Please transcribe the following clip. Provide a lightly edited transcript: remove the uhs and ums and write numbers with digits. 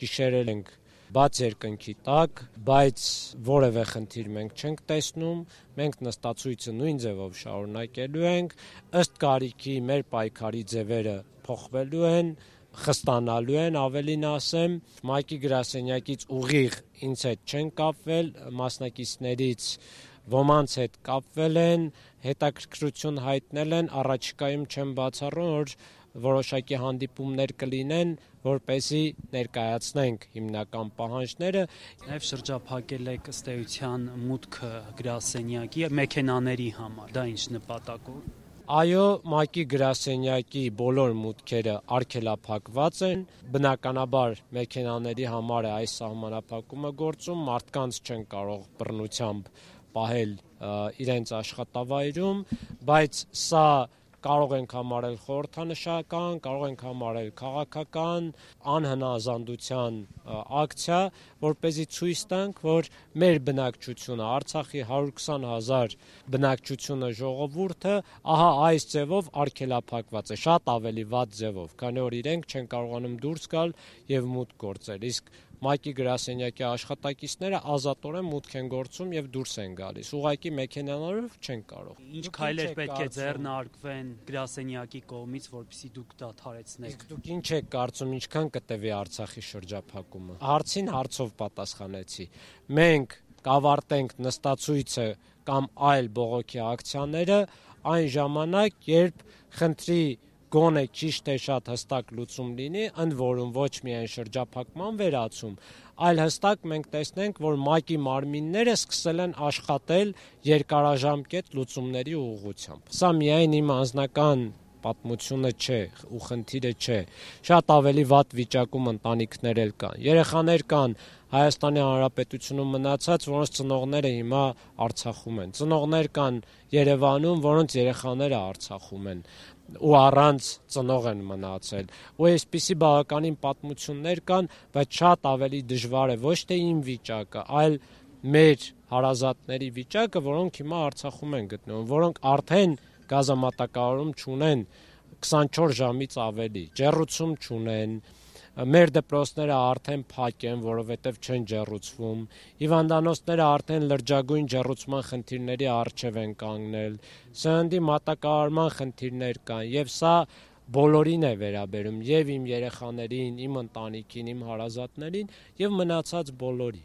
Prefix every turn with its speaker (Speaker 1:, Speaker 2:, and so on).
Speaker 1: գիշերել ենք բաց երկնքի տակ, բայց որևէ խնդիր մենք չենք տեսնում, մենք նստացույցը նույն ձևով շարունակելու ենք, ըստ կարիքի մեր պայքարի ձևերը փոխվելու են, խստանալու են, ավելին ասեմ, ՄԱԿ-ի գրասենյակից ուղիղ ինձ հետ չեն կապվել, մասնակիցներից ոմանց հետ կապվել են, հետաքրքրություն հայտնել են, առաջիկայում չեմ բացառում, որ որոշակի հանդիպումներ կլինեն, որպեսզի ներկայացնենք հիմնական պահանջները։
Speaker 2: Նաև շրջափակել եք ըստ էության մուտքը գրասենյակի մեքենաների համար, դա ինչ նպատակով։
Speaker 1: Այո, ՄԱԿ-ի գրասենյակի բոլոր մուտքերը արգելափակված են, բնականաբար մեքենաների համար է այս սահմանափակումը գործում, մարդկանց չեն կարող բռնությամբ պահել իրենց աշխատավայրում, բայց սա կարող ենք համարել խորհրդանշական, կարող ենք համարել քաղաքական, անհնազանդության ակցիա, որպեսզի ցույց տանք, որ մեր բնակչությունը, Արցախի 120,000 բնակչությունը, ժողովուրդը, ահա այս ձևով արգելափակված է, շատ ավելի վատ ձևով, քանի որ իրենք չեն կարողանում դուրս գալ եւ մուտք գործել, իսկ ՄԱԿ-ի գրասենյակի աշխատակիցները ազատորեն մուտք են գործում եւ դուրս են գալիս, ուղղակի մեքենաներով չեն կարող։
Speaker 2: Ինչ քայլեր պետք է ձեռնարկվեն գրասենյակի կողմից, որպեսզի դուք դադարեցնեք։
Speaker 1: Իսկ դուք ինչ եք կարծում, ինչքան կտևի Արցախի շրջափակումը։ Հարցին հարցով պատասխանեցի։ Մենք կավարտենք նստացույցը կամ այլ բողոքի ակցիաները այն ժամանակ, երբ խնդրի գոնե քիչ թե շատ հստակ լուծում լինի, ընդ որում ոչ միայն շրջափակման վերացում, այլ հստակ մենք տեսնենք, որ ՄԱԿ-ի մարմինները սկսել են աշխատել երկարաժամկետ լուծումների ուղղությամբ։ Սա միայն իմ անձնական պատմությունը չէ ու խնդիրը չէ, շատ ավելի վատ վիճակում ընտանիքներ էլ կան, երեխաներ կան Հայաստանի Հանրապետությունում մնացած, որոնց ծնողները հիմա Արցախում են, ծնողներ կան Երևանում, որոնց երեխաները Արցախում են ու առանց ծնող են մնացել, ու այսպիսի բավականին պատմություններ կան, բայց շատ ավելի դժվար է ոչ թե իմ վիճակը, այլ մեր հարազատների վիճակը, որոնք հիմա Արցախում են գտնվում, որոնք արդեն գազամատակարարում չունեն 24 ժամից ավելի, ջեռուցում չունեն, մեր դպրոցները արդեն փակ են, որովհետև չեն ջեռուցվում, հիվանդանոցները արդեն լրջագույն ջեռուցման խնդիրների առջև են կանգնել, սննդի մատակարարման խնդիրներ կան, եւ սա բոլորին է վերաբերում, եւ իմ երեխաներին, իմ ընտանիքին, իմ հարազատներին, եւ մնացած բոլորի։